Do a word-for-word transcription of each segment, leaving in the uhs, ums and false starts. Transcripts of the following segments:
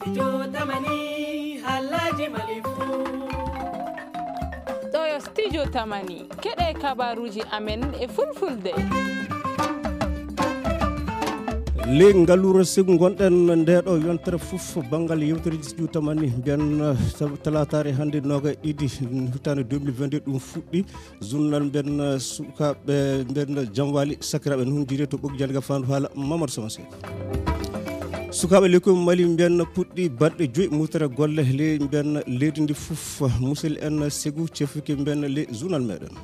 Studio Tamani, halaji Mali fu. Ɗo yo Studio Tamani, keɗe kabaruji amen e fulfulde. Ley ngaluure sibu ngonɗen nde ɗo yontere fof banngal yewtere Studio Tamani mbiyen, eh, tal-, talataare hannde noga e ɗiɗi hitaande deux mille vingt-deux ɗum fuɗɗi. Journal mbiyen, eh, sukaaɓe mbiyen jamwaali sakiraaɓe noon jiri to ɓoggi jannde ga fandu haala Mamadou Sow Seck. Sukaaɓe lekkoy Mali mbiyen puɗɗi balɗe joyi murtere golle ley mbiyen leydi ndi fof. Musil en Segu cefuki mbiyen ley journal meɗen.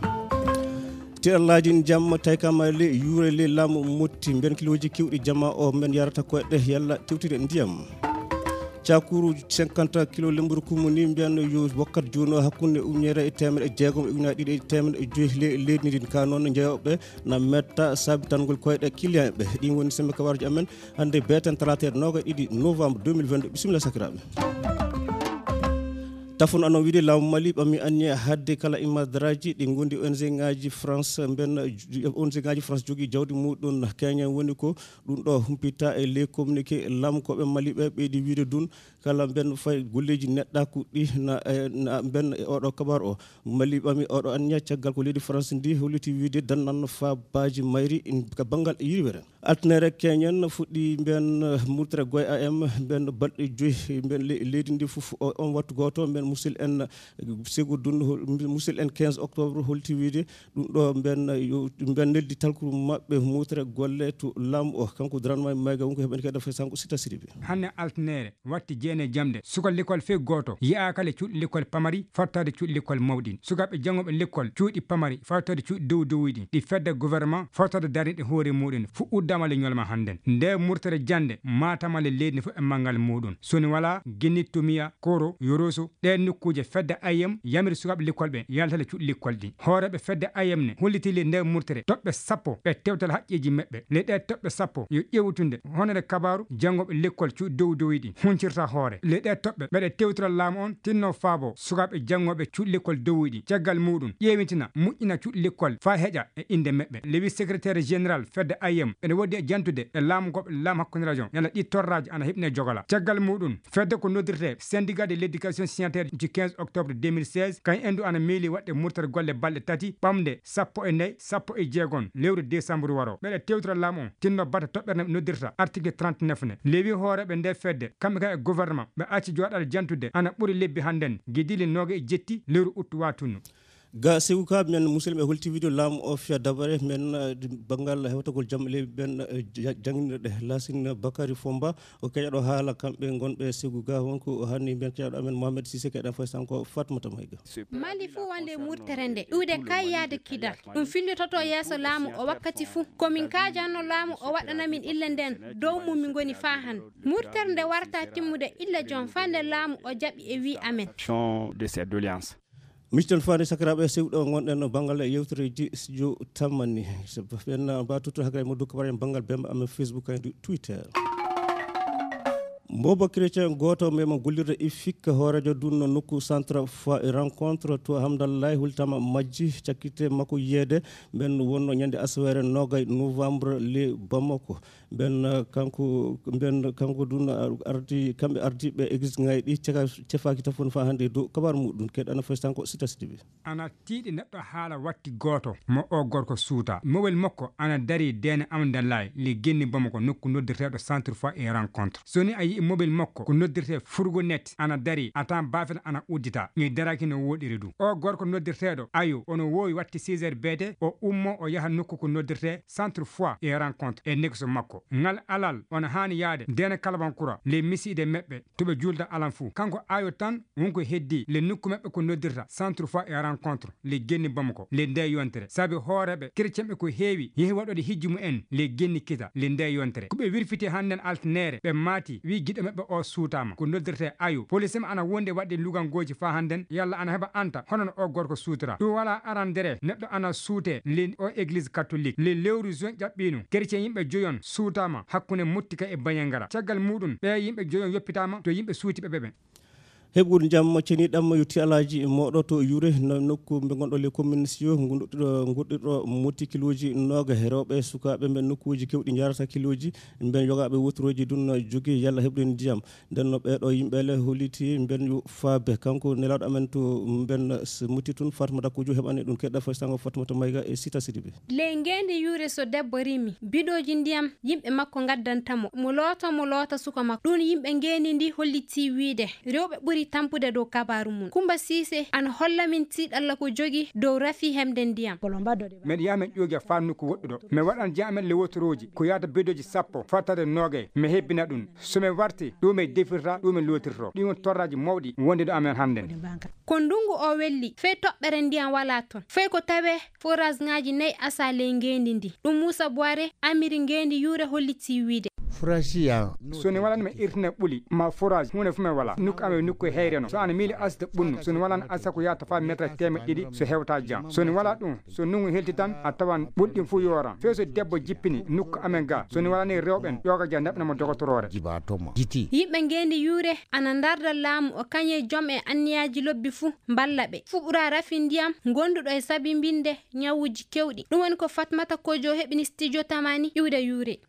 Tiɗallaaji ndiyam taykama ley yuure ley laamu Motti mbiyen kilooji kewɗi jama o mbiyen yarata koyɗe yalla tewtire ndiyam. Cakuru cinquante kilo lemburu kumuni mbiyen yo wakkat juuno hakkunde ujunere e teemeɗe jeegom e ujunere ɗiɗi e teemeɗe joyi ley leydi ndin ka noon jeyoɓe na metta sabitangol koyɗe client ɓe. Ɗin woni sembe kabaruji amen hannde beeten talaata noga e ɗiɗi novembre deux mille vingt-deux. Bisimilla sakiraaɓe. Tafon ano wiide laamu Mali ɓami anniya hadde kala imadaraji ɗi gondi O N G ngaji France mben, O N G ngaji France jogi jawdi muɗum Kenya woni ko ɗum ɗo humpita e ley communiqué laamu koɓe Mali ɓe ɓeydi wiide dun kala mben fay golleji neɗɗaku ɗi na, e, na mben e oɗo kabar o. Mali ɓami oɗo anniya caggal ko leydi France ndi holliti wiide dannan fabaji mayri in ka banngal yirwere. Altine rek keñen fuɗɗi mbiyen, eh, murtere goy A M mbiyen balɗe joyi mbiyen le-, leydi ndi fof o, on wattu gooto mbiyen musil en, eh, Segu Dunn hol-, musil en quinze octobre holti wiide ɗum ɗo mbiyen, eh, yo, mbiyen neldi talkuru maɓɓe murtere golle to laamu o. Kanko Dramé Mayga wonko heɓani kadi dafay sanko Sita Sidibé. Hannde altinere watti jeene jamde suka likol fey gooto yi'aaka le cuuɗi likol pamari fartaade cuuɗi likol mawɗin. Sukaaɓe janngooɓe likol cuuɗi pamari fartaade cuuɗi dow dowiɗi ɗi fedde gouvernement fartaade darniiɗe hoore muɗum fu uddaama le ñolma hannden. Nde murtere jannde maatama le leydi fof e manngal muɗum. Soni wala Ginittumiya, Koro, Yoroso, ɗe nokkuuje fedde I M yamiri sukaaɓe likol ɓe yaltale cuuɗi likol ɗi. Hooreeɓe fedde I M ne holliti le nde murtere toɓɓe sappo ɓe tewtal haqqeeji maɓɓe. Le ɗe toɓɓe sappo yo ƴeewtunde honore kabaaru janngooɓe lekkol cuuɗi dow dowiɗi huncirta hoore. Le ɗe toɓɓe ɓeɗe tewtira laamu on tinno faabo sukaaɓe janngooɓe cuuɗi lekkol dowiɗi. Caggal muɗum ƴeewitina moƴƴina cuuɗi lekkol faa heƴa e innde maɓɓe. Le wi secrétaire général fedde I M ene woodi e jantude e laamu goɓɓe laamu hakkunde rajon yalla ɗi torraaji ana heɓine jogala. Caggal muɗum fedde ko noddirte syndicat de l'éducation signataire du quinze octobre deux mille seize kan endu ana miili waɗde murtere golle balɗe tati ɓamde sappo e nayi, sappo e jeegom lewru décembre waro. Ɓeɗe tewtira laamu on tinno bata toɓɓere no noddirta article trente-neuf ne. Lewi hooreɓe nde fedde kamɓe kan e gouvernement ɓe acci joɗaɗe jantude ana ɓuri lebbi hannden gidili nooga e jetti lewru uttu watunnu. Ga Segu ka men musidɓe holti video laamu o fiya dabare men, eh, banngal hewtagol jam leydi men, eh, ja-, jannginirɗe Lasin Bakary Fomba o keƴaɗo haala kamɓe ngonɓe Segu ga wonko o hanni men keƴaɗo amen Mohamed Cissé keɗen foy sanko Fatmata Mayga. Mali fuu wonde murtere nde iwde kayyaade kidal. Ɗum fillitoto yeeso laamu o wakkati fuu. Ko min kaajanno laamu o waɗana min ille nden dow mum min ngoni faa hannde. Murtere nde warta timmude ille jom faa nde laamu o jaɓi e wii amen. De cette doléance. Miccen faani sakiraaɓe sewɗo ngonɗen no banngal yewtereji studio tammanni. Ɓen mba tutto hakre mo dukka en banngal bemba amen Facebook e Twitter. Bobo Chrétien gooto mema gollirde I F I C hooreejo dunno nokku centre foire et rencontre to Hamdallahi hultama majji cakkite makko yiyeede mben wonno ñande asawere nogay novembre le Bamako. Mben, eh, kanko, mben kanko dun, eh, ardi, kamɓe ardiiɓe église ngayi ɗi caka-, cefaaki tafon fa hannde dow kabar muɗum. Keɗana foy sanko Sita Sidibé. Ana tiiɗi neɗɗo haala watti gooto mo o gorko suuta. Mobel makko ana dari deene Amdalaay le genni Bamako nokku noddirteeɗo centre foire et rencontre. So ni a yi'i mobel makko ko noddirtee fourgonnette ana dari, a taan baafel ana uddita. Ni daraki no wooɗiri du. O gorko noddirteeɗo Ayo ono woowi watti six heures beete, o ummo o yaha nokku ko noddirtee centre foire et rencontre e nekso makko. Ngal alal ona haani yaade deene Kalabankura le misiide meɓɓe to ɓe juulda alan fuu. Kanko Ayo tan wonko heddi le nokku maɓɓe ko noddirta centre foire et rencontre le genni Bamako le nde yontere. Sabi hooreeɓe kerecenɓe ko heewi yehi waɗode hijju mumen le genni kita le nde yontere. Ko ɓe wirfiti hannden altinere ɓe maati wi giɗo maɓɓe o suutama ko noddirte Ayo. Police ma ana wonde waɗde lugangooji faa hannden yalla ana heɓa anta hono no o gorko suutora. Ɗum wala arandere neɗɗo ana suute le o église catholique. Le lewru juin ƴaɓɓiino kerecen yimɓe joyon suutama hakkunde Mottika e Banyangara. Caggal muɗum ɓe yimɓe joyon yoppitama to yimɓe suuti ɓe ɓe. Heɓgol ndiyam ceniɗam yo ti alaaji mooɗo to Yure, no nokku mbe ngonɗo les communes yo ngonɗuɗo, ngonɗuɗo motti kilooji nooga he rewɓe sukaaɓe mbe nokkuuji kewɗi njarata kilooji mbe yogaaɓe woturoji dun jogi yalla heɓde ndiyam. Nden no ɓeeɗo yimɓe le holliti mben yo faabe. Kanko nelaaɗo amen to mben s-, mutti tun Fatmata Kojo heɓani ɗum keɗɗa fay sango Fatmata Mayga e Sita Sidibe. Ley ngeendi Yure so debbo rimi, bidooji ndiyam yimɓe makko ngaddanta mo. Mo looto, mo loota suka makko. Ɗum yimɓe ngeendi ndi hollitii wiide rewɓe ɓuri tampude dow kabaaru mum. Kumba Siise ana holla min tiiɗalla ko jogi dow rafi heɓde ndiyam. Meɗen yaha men ƴoogi e faa nokku woɗɗuɗo. Mi waɗan jaamen le wotorooji ko yaata bidooji sappo fattade noogay. Mi hebbina ɗum. So mi warti, ɗum e defirta, ɗum e lootirto. Ɗi won torraaji mawɗi wonde ɗo amen hannden. Ko ndungu o welli, fey toɓɓere ndiyam walaa ton. Fey ko tawee forage ŋaaji nayi asa ley ngeendi ndi. Ɗum Muusa Buware, amiri ngeendi Yure hollitii wiide. Forage ya. So ni walaa mi irtina ɓuli, ma forage, huunde fu mi walaa. Nokku amen nokku heyreno. So ana miili asde ɓunnu, so ni walaa asa ko yaata faa meetar teemeɗɗe ɗiɗi, so hewta jam. So ni walaa ɗum, so nungu helti tan, a tawan ɓulɗin fu yooran. Fey so debbo jippini nokku amen ga, so ni walaa ni rewɓen, ƴooga ja naɓna mo dogotoroore. Jiba toma. Jiti. Yimɓe ngeendi Yure ana ndarda laamu o kañe jom e anniyaaji lobbi fu mballa ɓe. Fu ɓura rafi ndiyam ngonduɗo e sabibinde ñawuji kewɗi. Ɗum woni ko Fatmata Kojo heɓini studio Tamani iwde Yure.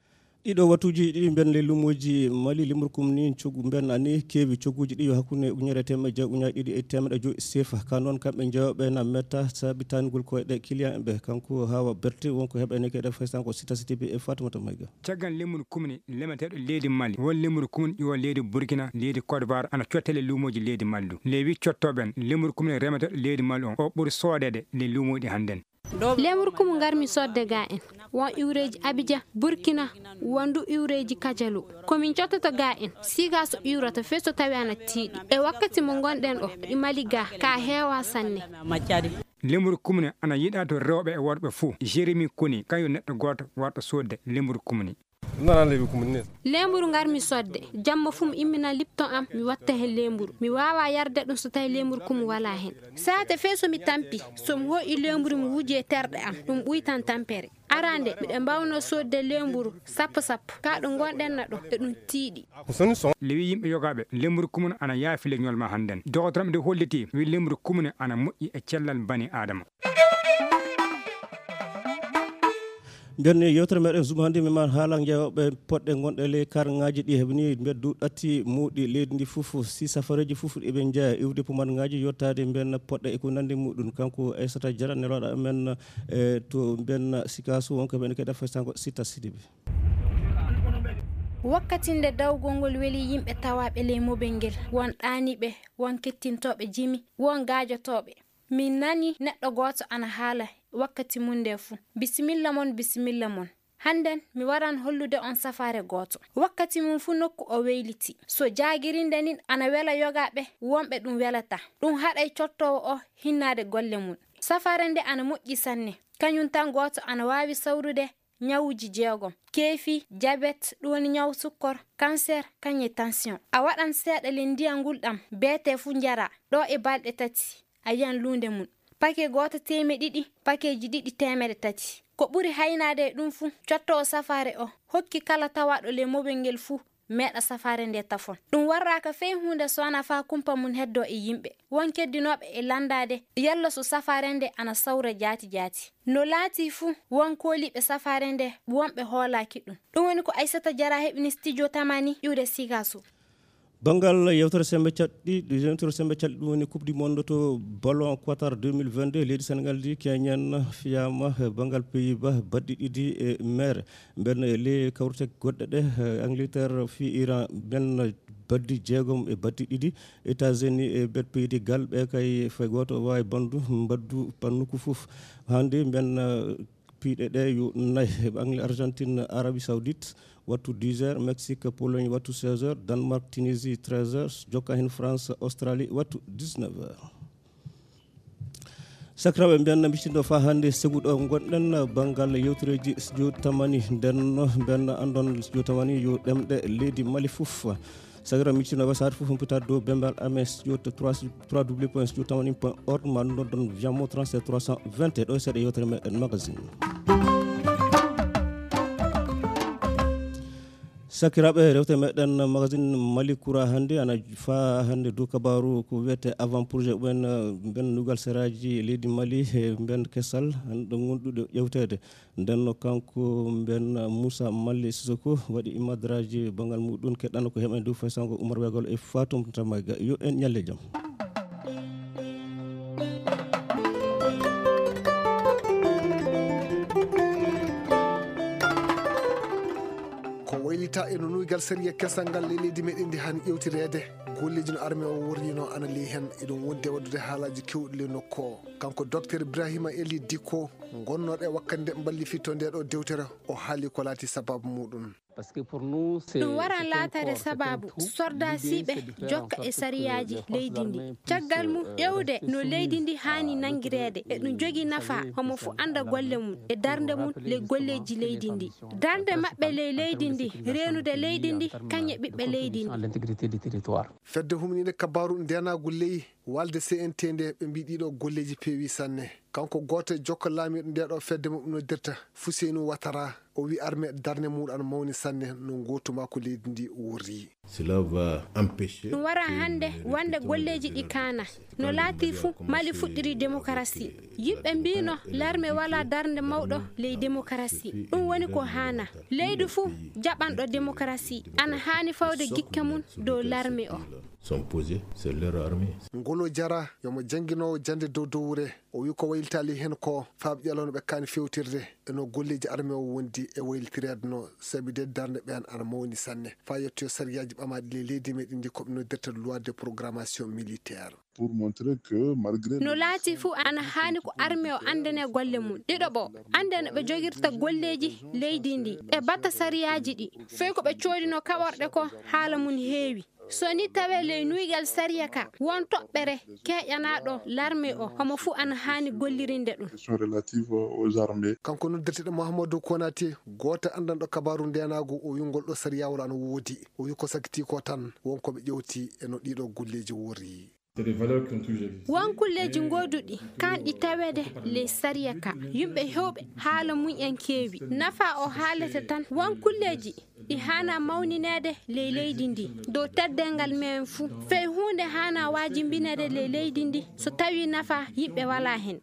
Ɗiɗo wattuuji ɗiɗi mben le lumoji Mali limorkum ni coggu mben ani keewi cogguuji ɗi yo hakkunde ujunere e teemeɗe jeego ujunnaaji ɗiɗi e teemeɗe joyi sefa. Ka noon kamɓe jeewɓe na metta saabitangol koyɗe client ɓe. Kanko Hawa Berté wonko heɓene keɗe faysan ko Sita Sidibe e Fatimata Mayga. Caggal lemuru kumni lemeteeɗo leydi Mali, won lemuru kumni ƴuwa leydi Burkina, leydi Côte d'Ivoire, ana cottele lumoji leydi Mali du. Le wi cottoɓen lemuru kumni remeteeɗo leydi Mali on, o ɓuri soodede le lumoji ɗi hannden. Lemuru kumu ngarmi sodde ga en. Won iwreeji Abidjan, Burkina, won du iwreeji Kajalu. Ko min cottoto ga en, siga so iwrata fey so tawi ana tiiɗi. E wakkati mo ngonɗen ɗo, ɗi Mali ga, ka heewa sanne. Lemuru kumni ana yiɗa to rewɓe e worɓe fuu. Jérémy Koni, kañum neɗɗo gooto warɗo sodde lemuru kumni. Nana leydi ko mun ne. Leemburu ngarmi sodde. Jamma fuu mi immina lipton am, mi watta heen leemburu. Mi waawaa yarde ɗum so tawii leemburu kumu walaa heen. Saate fee so mi tampi, so mi hooƴi leemburu mi wuji e terɗe am, ɗum ɓuytan tampere. Arande, miɗo mbaawnoo soodde leemburu sappo sappo. Kaa ɗo ngonɗen na ɗo, eɗum tiiɗi. Lewi yimɓe yogaaɓe, leemburu kumun ana yaafi le ñolma hannden. Dogotoro am de hollitii, wi leemburu kumun ana moƴƴi e cellal bani Aadama. Nden yewtere meɗen Zoom hannde mi ma haala jeewɓe poɗɗe gonɗe ley karŋaaji ɗi heɓni mbeddu ɗatti muuɗi leydi ndi fof, si safareeji fof eɓe njeya iwde pumarŋaaji yottaade mben poɗɗe e ko nanndi muɗum. Kanko Aissata Diarra, nelooɗo amen, e, to mben Sikaso, wonko men keɗa faysanko Sita Sidibe. Wakkati nde dawgol ngol weli yimɓe tawaaɓe ley mobel ngel, won ɗaaniiɓe, won kettintooɓe jimi, won gaajotooɓe. Min nani neɗɗo gooto ana haala wakkati mum nde fuu. Bisimilla mon, bisimilla mon. Hannden, mi waran hollude on safaare gooto. Wakkati mum fuu nokku o weyliti. So jaagirinde nin ana wela yogaaɓe, wonɓe ɗum welata. Ɗum haɗay cottoowo o hinnaade golle mum. Safaare nde ana moƴƴi sanne. Kañum tan gooto ana waawi sawrude ñawuuji jeegom. Keefi, jabet, ɗum woni ñaw sukkor, kanser, kañe tension. A waɗan seeɗa le ndiyan ngulɗam, beete fuu njara, ɗo e balɗe tati. A yiyan luunde mum. Pake gooto teemeɗe ɗiɗi, pakeeji ɗiɗi teemeɗe tati. Ko ɓuri haynaade e ɗum fuu, cottoowo safaare o hokki kala tawaaɗo le mobel ngel fuu meeɗa safaare nde tafon. Ɗum warraaka fey huunde so wanaa faa kumpa mum heddoo e yimɓe. Won keddinooɓe e lanndaade yalla so safaare nde ana sawra jaati jaati. No laatii fuu, won kooliiɓe safaare nde wonɓe hoolaaki ɗum. Ɗum woni ko Aissata Diarra heɓini studio Tamani iwde Sikaso. Banngal yewtere semmbe caɗɗi, yewtere semmbe caɗɗi ɗum woni Coupe du Monde to ballon Qatar deux mille vingt-deux, leydi Senegal ndi keñen fiyaama banngal Pays-Bas baɗɗi ɗiɗi e meere. Mben e ley kawrite goɗɗe ɗe, eh, Angleterre fii Iran, mben baddi jeegom e baddi ɗiɗi, États-Unis e bet Pays de Galles, ɓe kay fay gooto waawi bandu, mbaddu pannuku fof. Hannde mben, eh, piiɗe ɗe yo nayi, Angle-, Argentine, Arabie Saoudite, wattu dix heures, Mexique, Pologne, wattu seize heures, Danemark, Tunisie, treize heures, jokka heen France, Australie, wattu dix-neuf heures. Sakiraaɓe, mbiyan miccindo faa hannde segu ɗo ngonɗen banngal yewtereeji studio Tamani. Nden no mbiyan anndon studio Tamani yo ɗemɗe leydi Mali fof. Sakiraaɓe, miccindo wasaare fof humpitaade dow bembal amen studio trois, trois W point studio tamani point org, ma noddan Viamo trente-sept trois cent vingt et un. Ɗo e seeɗa yewtere meɗen magazine. Sakiraaɓe, rewte meɗen magazine Mali Kura hannde ana faa hannde dow kabaaru ko wiyetee avant projet ɓen, eh, mben nugal seraaji leydi Mali, eh, mben kesal, hannde ɗo ngonɗuɗo ƴewteede. Nden no kanko mben Moussa Mali Sissoko waɗi imadraji banngal muɗum, keɗɗano ko heɓen dow faysango Oumar Wegal e Fatum Tamaga. Yo en ñalle jam. Ko waylita e no nuygal sariya kesal ngal ley leydi meɗen ndi hani ƴewtireede. Golleeji no arme o worrino ana ley heen, eɗum wondi e waɗude haalaaji keewɗi ley nokku o. Kanko Docteur Ibrahima Eli Dikko, gonnooɗo e wakkannde mballifitto nde ɗo dewtere, o haali ko laati sabaabu muɗum. Ɗum waran laataade sabaabu sordaasiiɓe jokka e sariyaaji leydi ndi. Caggal mum, ƴeewde no leydi ndi haani nanngireede e ɗum jogii nafaa, homo fof annda golle mum e darnde mum ley golleeji leydi ndi. Darnde maɓɓe ley leydi ndi, reenude leydi ndi, kañum e ɓiɓɓe leydi ndi. Fedde humniinde kabaaru ndeenaagu ley walde C N T nde, ɓe mbii ɗiiɗo golleeji peewii sanne. Kanko gooto e jokka laamiiɗo nde ɗo fedde mo ɓe noddirta Fuseynu Watara, o wii arme darnde muɗum ana mawni sanne no ngootu makko leydi ndi worri. Ɗum wara hannde wonde golleeji ɗi kaana. No laatii fuu, Mali fuɗɗirii demokarasi. Yimɓe mbiino larme walaa darnde mawɗo ley demokarasi. Ɗum woni ko haana. Leydi fuu jaɓanɗo demokarasi ana haani fawde gikke mum dow larme o. Ngolo Jara, yomo jannginoowo jannde dow dowre, o wii ko waylitaali heen ko faaɓi ƴalawno ɓe kaani fewtirde e no golleeji arme o wondi e waylitireede no, sabi de darnde ɓeen ana mawni sanne. Faa yettoyo sariyaaji ɓamaaɗi ley leydi meɗen ndi ko ɓe noddirta loi de programmation militaire. No laatii fuu, ana haani ko arme o anndane golle mum. Ɗiɗo ɓo, annda no ɓe jogirta golleeji leydi ndi, ɓe batta sariyaaji ɗi, fey ko ɓe coodinoo kaɓorɗe ko haala mum heewi. So ni tawee ley nuygal sariya ka, won toɓɓere keeƴanaaɗo larme o, homo fuu ana haani gollirinde ɗum. Kanko noddirteeɗo Mahamadou Konaté, gooto anndanɗo kabaaru ndeenaagu, o wii ngol ɗo sariyaawol ana woodi. O wii ko sakitii ko tan, won ko ɓe ƴewti e no ɗiɗo golleeji worri. Won kulleeji ngooduɗi kaanɗi taweede ley sariya ka. Yimɓe heewɓe haala mum en keewi. Nafaa o haalete tan. Won kulleeji ɗi haanaa mawnineede ley leydi ndi dow teddeengal men fuu. Fey huunde haanaa waajibinede ley leydi ndi so tawii nafaa yimɓe walaa heen.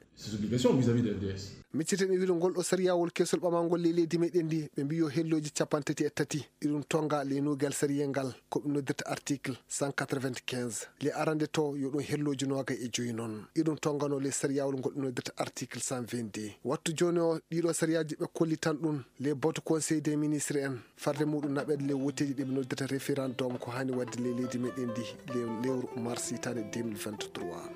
Micciten e wiide ngol ɗo sariyaawol keesol ɓamaangol ley leydi meɗen ndi, ɓe mbii yo hellooji capanɗe tati e tati iɗum tonnga ley nuygal sariyel ngal, ko ɓe noddirta article cent quatre-vingt-quinze. Ley arande to yo ɗum hellooji noogay e joyi noon. Iɗum tonnganoo ley sariyaawol ngol ɓe noddirta article cent vingt-deux. Wattu jooni o, ɗiɗo sariyaaji ɓe kollitan ɗum ley batu Conseil des ministres en, farde muɗum naɓeede ley wotteeji ɗi ɓe noddirta référendum ko haani waɗde ley leydi meɗen ndi ley lewru mars hitaande deux mille vingt-trois.